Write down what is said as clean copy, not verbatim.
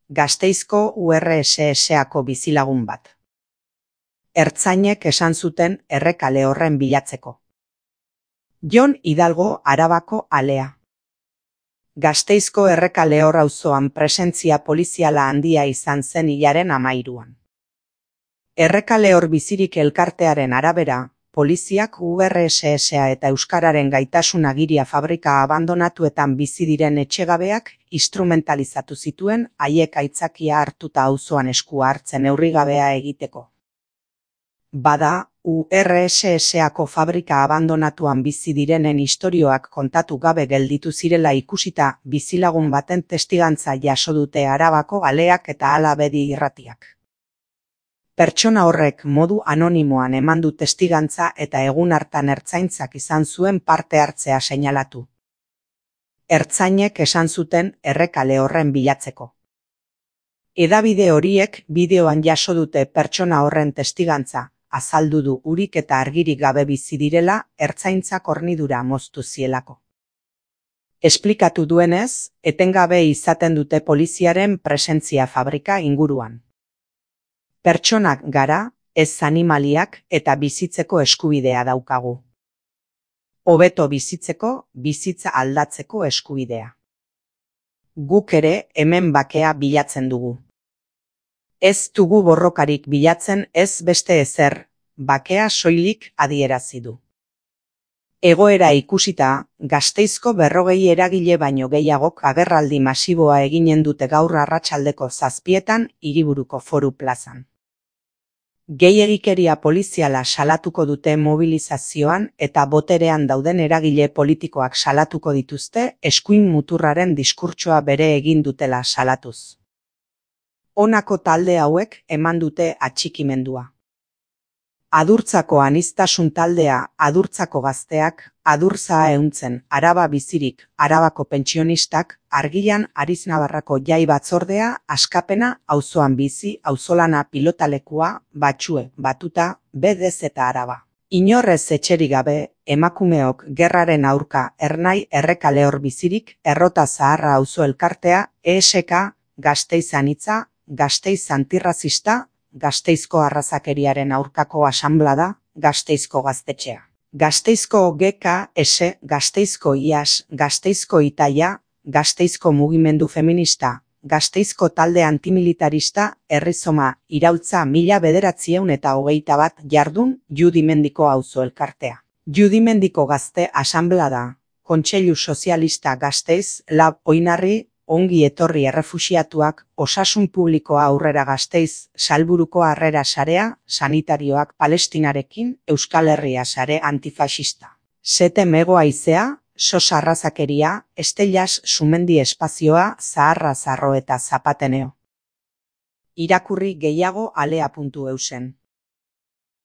Gasteizko URSS-ako bizilagun bat. Ertzainek esan zuten errekale horren bilatzeko. Jon Hidalgo Arabako alea. Gasteizko errekale hor auzoan presentzia poliziala handia izan zen hilaren 13an. Errekale hor bizirik elkartearen arabera, poliziak URSS-a eta Euskararen gaitasun agiria fabrika abandonatuetan bizi diren etxegabeak instrumentalizatu zituen haiek aitzakia hartuta auzoan eskua hartzen neurrigabea egiteko. Bada, URSS-ako fabrika abandonatuan bizi direnen istorioak kontatu gabe gelditu zirela ikusita bizilagun baten testigantza jaso dute Arabako aleak eta Hala Bedi irratiak. Pertsona horrek modu anonimoan eman du testigantza eta egun hartan ertzaintzak izan zuen parte hartzea seinalatu. Ertzainek esan zuten errekale horren bilatzeko. Hedabide horiek bideoan jaso dute pertsona horren testigantza, azaldu du urik eta argirik gabe bizi direla ertzaintzak hornidura moztu zielako. Esplikatu duenez, etengabe izaten dute poliziaren presentzia fabrika inguruan. Pertsonak gara, ez animaliak eta bizitzeko eskubidea daukagu. Hobeto bizitzeko, bizitza aldatzeko eskubidea. Guk ere hemen bakea bilatzen dugu. Ez dugu borrokarik bilatzen ez beste ezer, bakea soilik adierazi du. Egoera ikusita, Gasteizko 40 eragile baino gehiagok agerraldi masiboa eginen dute gaur arratsaldeko 7etan Hiriburuko Foru plazan. Gehiegikeria poliziala salatuko dute mobilizazioan eta boterean dauden eragile politikoak salatuko dituzte eskuin muturraren diskurtsoa bere egin dutela salatuz. Honako talde hauek eman dute atxikimendua. Adurtzako aniztasun taldea, Adurtzako gazteak, Adurtza ehuntzen, Araba bizirik, Arabako pentsionistak, Argilan Ariznabarrako jai batzordea, Askapena, auzoan bizi, auzolana pilotalekua, Batxue, Batuta, BDZ eta Araba. Inorrez etxerik gabe, emakumeok gerraren aurka Ernai errekale hor bizirik, Errota Zaharra auzo elkartea, ESK, Gasteiz anitza, Gasteiz antirrazista, Gasteizko arrazakeriaren aurkako asanblada, Gasteizko gaztetxea. Gasteizko GKS, Gasteizko IAS, Gasteizko Itaia, Gasteizko mugimendu feminista, Gasteizko talde antimilitarista, Errizoma, Iraultza 1921 jardun, Judimendiko auzo elkartea. Judimendiko gazte asanblada, Kontseilu Sozialista Gasteiz, Lab Oinarri, Ongi etorri errefuxiatuak, Osasun Publikoa Aurrera Gasteiz, Salburuko Harrera Sarea, Sanitarioak Palestinarekin, Euskal Herria Sare antifasista. Sete Mego Haizea, Sos Arrazakeria, Estellas Sumendi Espazioa, Zaharra Zarro eta Zapateneo. Irakurri gehiago alea.eusen.